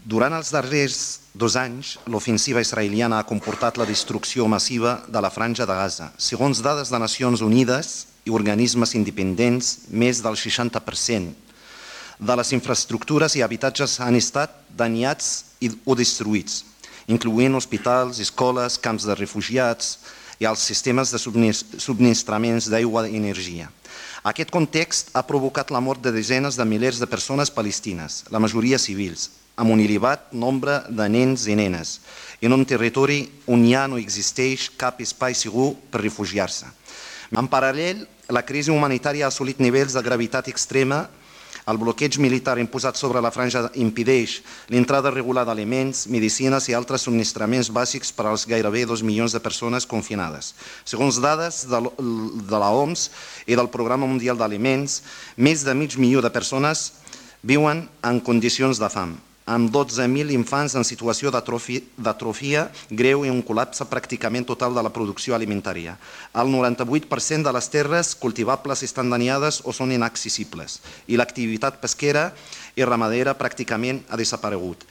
Durant els darrers 2 anys, l'ofensiva israeliana ha comportat la destrucció massiva de la Franja de Gaza. Segons dades de Nacions Unides i organismes independents, més del 60% de les infraestructures i habitatges han estat danyats o destruïts, incloent hospitals, escoles, camps de refugiats i els sistemes de subministraments d'aigua i energia. Aquest context ha provocat la mort de desenes de milers de persones palestines, la majoria civils, amb un elevat nombre de nens i nenes, en un territori on ja no existeix cap espai segur per refugiar-se. En paral·lel, la crisi humanitària ha assolit nivells de gravetat extrema. El bloqueig militar imposat sobre la franja impedeix l'entrada regular d'aliments, medicines i altres subministraments bàsics per als gairebé 2 milions de persones confinades. Segons dades de l'OMS i del Programa Mundial d'Aliments, més de mig milió de persones viuen en condicions de fam, amb 12.000 infants en situació d'atrofia greu i un col·lapse pràcticament total de la producció alimentària. El 98% de les terres cultivables estan danyades o són inaccessibles i l'activitat pesquera i ramadera pràcticament ha desaparegut.